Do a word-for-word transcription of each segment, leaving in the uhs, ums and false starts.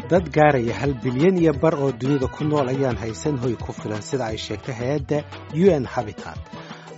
Dad gaaraya hal bilyan iyo bar oo dunida ku nool ayaan haysan hoy ku filan, sida ay sheegtay hay-adda U N Habitat.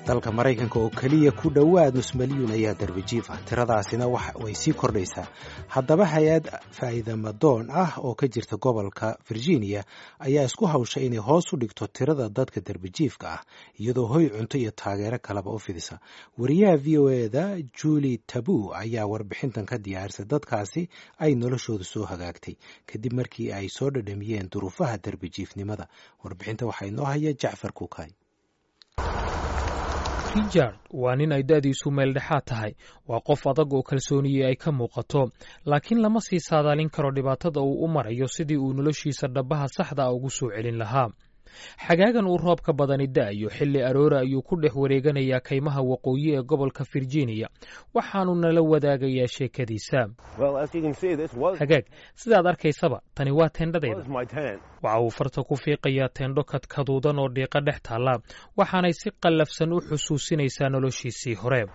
Dalka Maraykanka oo keliya ku dhowaad nus milyuun ayaa darbijiif ah, tiradaasina way sii kordhaysaa. Haddaba, hay-ad faa'iidamadoon ah oo ka jirta gobolka Virginia ayaa isku hawshay inay hoos u dhigto tirada dadka darbijiifka ah, iyadoo hoy, cunto iyo taageero kaleba u fidisa. Wariyaha V O A da Julie Tabu ayaa warbixintan ka diyaarisay dadkaasi ay noloshoodu soo hagaagtay kadib markii ay soo dhadhamiyeen duruufaha darbijiifnimada. Warbixinta waxaa inoo haya Jacfar Kukay. Richard waa nin ay da'diisu meeldhexaad tahay. Waa qof adag oo kalsooniyey ay ka muuqato, laakiin lama sii saadaalin karo dhibaatada uu u marayo sidii uu noloshiisa dhabbaha saxda ah ugu soo celin lahaa. Xagaagan uu roobka badani da'ayo, xilli aroora ayuu ku dhex wareeganayaa kaymaha waqooyi ee gobolka Virginia, waxaanu nala wadaagayaa sheekadiisa. "Hagaag, sidaad arkaysaba, tani waa teendhadayda." Waxa uu farta ku fiiqayaa teendho kadkaduudan oo dhiiqa dhex taalla, waxaanay si qallafsan u xusuusinaysaa noloshiisii hore.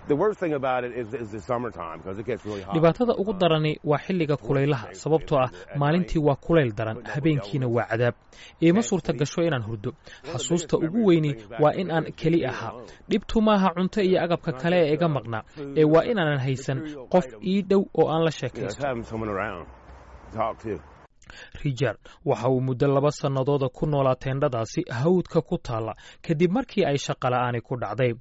"Dhibaatada ugu darani waa xilliga kulaylaha, sababtoo ah maalintii waa kulayl daran, habeenkiina waa cadaab. Iima suurta gasho inaan hurdo. Xasuusta ugu weyni waa in aan keli ahaa. Dhibtu maaha cunto iyo agabka kale ee iga maqnaa, ee waa inaanan haysan qof ii dhow oo aan la sheekaysto." Richard waxa uu muddo laba sannadooda ku noolaa teendhadaasi hawdka ku taalla kadib markii ay shaqola'aani ku dhacday.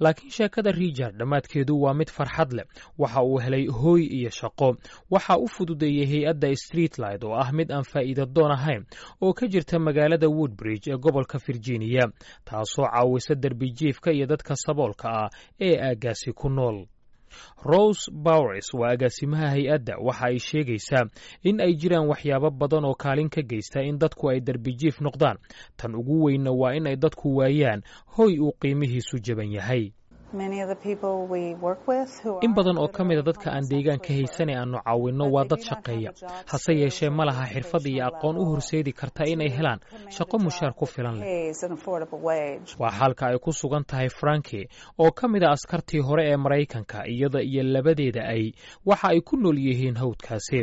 Laakiin sheekada Richard dhammaadkeedu waa mid farxad leh. Waxa uu helay hooy iyo shaqo. Waxa u fududeeyey hay-adda Streetlight, oo ah mid aan faa'iida doon ahayn oo ka jirta magaalada Woodbridge ee gobolka Virginia, taasoo caawisa derbijiifka iyo dadka saboolka ah ee aaggaasi ku nool. Rose Bowers waa agaasimaha hay-adda. Waxa ay sheegaysaa in ay jiraan waxyaabo badan oo kaalin ka geysta in dadku ay derbijiif noqdaan. Tan ugu weynna waa in ay dadku waayaan hoy uu qiimihiisu jaban yahay. "In badan oo ka mida dadka aan deegaanka haysan ee aanu caawinno waa dad shaqeeya, hase yeeshee ma laha xirfad iyo aqoon u horseedi karta inay helaan shaqo mushaar ku filan leh." Waa xaalka ay ku sugan tahay Franki, oo ka mid a askartii hore ee Maraykanka. Iyada iyo labadeeda ay waxa ay ku nool yihiin hawdkaasi.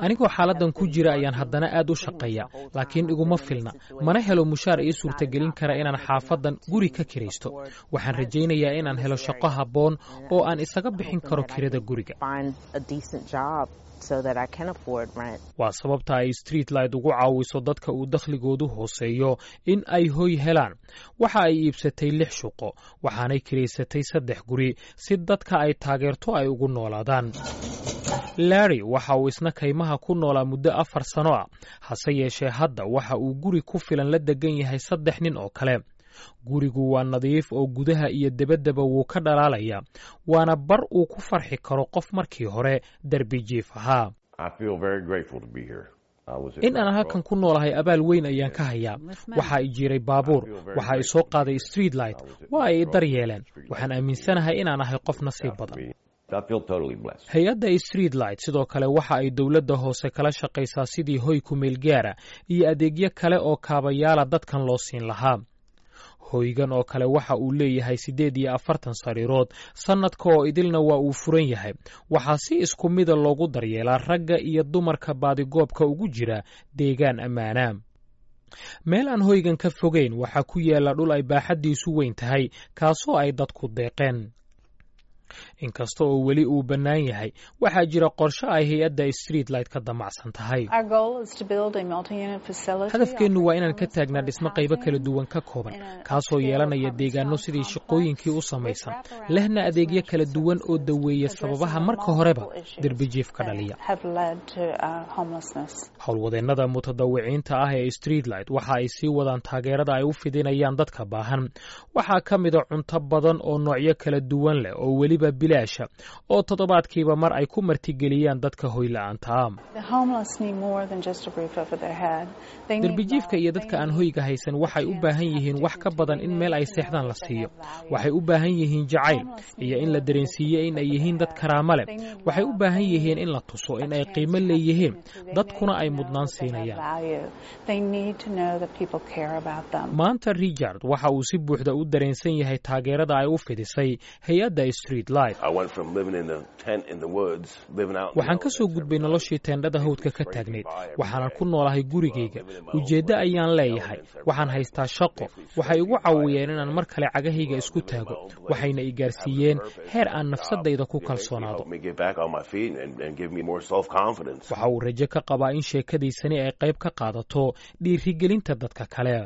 "Anigoo xaaladdan ku jira ayaan haddana aad u shaqeeya, laakiin iguma filna, mana helo mushaar ii suurtagelin kara inaan xaafaddan guri ka kiraysto. Waxaan rajaynayaa inaan helo shaqo habboon oo aan isaga bixin karo kirada guriga." Waa sababta ay Streetlight ugu caawiso dadka uu dakhligoodu hooseeyo in ay hoy helaan. Waxa ay iibsatay lix shuqo, waxaanay kiraysatay saddex guri si dadka ay taageerto ay ugu noolaadaan. Larry waxa uu isna kaymaha ku noolaa muddo afar sano ah, hase yeeshee hadda waxa uu guri ku filan la degan yahay saddex nin oo kale. Gurigu waa nadiif oo gudaha iyo debaddaba wuu ka dhalaalayaa, waana bar uu ku farxi karo qof markii hore derbi jiif ahaa. "In aan halkan ku noolahay abaal weyn ayaan ka hayaa. Waxaa i jiray baabuur, waxaa i soo qaaday Streetlight, waa ay i dar yeeleen. Waxaan aaminsanahay inaan ahay qof nasiib badan." Hay-adda Streetlight sidoo kale waxa ay dowladda hoose kala shaqaysaa sidii hoy ku meel gaara iyo adeegyo kale oo kaabayaala dadkan loo siin lahaa. Hoygan oo kale waxa uu leeyahay siddeed iyo afartan sariirood, sannadka oo idilna waa uu furan yahay. Waxaa si isku mida loogu daryeelaa ragga iyo dumarka baadigoobka ugu jira deegaan ammaana. Meel aan hoygan ka fogeyn waxaa ku yaalla dhul ay baaxaddiisu weyn tahay, kaasoo ay dadku deeqeen. Inkasta oo weli uu bannaan yahay, waxaa jira qorshe ay hay-adda Streetlight ka damacsan tahay. "Hadafkeennu waa inaan ka taagnaa dhismo qaybo kala duwan ka kooban, kaasoo yeelanaya deegaano sidii shaqooyinkii u samaysan, lehna adeegyo kala duwan oo daweeya sababaha marka horeba derbijiif ka dhaliya." Howlwadeennada mutadawiciinta ah ee Streetlight waxa ay sii wadaan taageerada ay u fidinayaan dadka baahan. Waxaa ka mida cunto badan oo noocyo kala duwan leh oo weliba bilaasha, oo toddobaadkiiba mar ay ku martigeliyaan dadka hoyla'aanta ah. "Derbijiifka iyo dadka aan hoyga haysan waxay u baahan yihiin wax ka badan in meel ay seexdaan la siiyo. Waxay u baahan yihiin jacayl iyo in la dareensiiyo in ay yihiin dad karaamo leh. Waxay u baahan yihiin in la tuso in ay qiimo leeyihiin, dadkuna ay mudnaan siinayaan." Maanta Richard waxa uu si buuxda u dareensan yahay taageerada ay u fidisay hay-adda Streetlight. Waxaan ka soo gudbay noloshii teendhada hawdka ka taagnayd, waxaanan ku noolahay gurigayga. Ujeeddo ayaan leeyahay, waxaan haystaa shaqo. Waxay igu caawiyeen inaan mar kale cagahayga isku taago, waxayna i gaarsiiyeen heer aan nafsadayda ku kalsoonaado. Waxa uu rajo ka qabaa in sheekadiisani ay qayb ka qaadato dhiirigelinta dadka kale.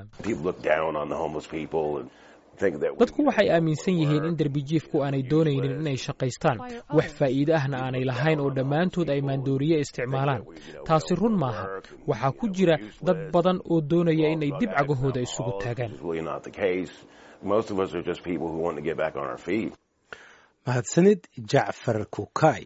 Dadku waxay aaminsan yihiin in derbijiifku aanay doonaynin inay shaqaystaan, wax faa'iide ahna aanay lahayn, oo dhammaantood ay maandooriye isticmaalaan. Taasi run maaha. Waxaa ku jira dad badan oo doonaya inay dib cagahooda isugu taagaan. Mahadsanid, Jacfar Kukay.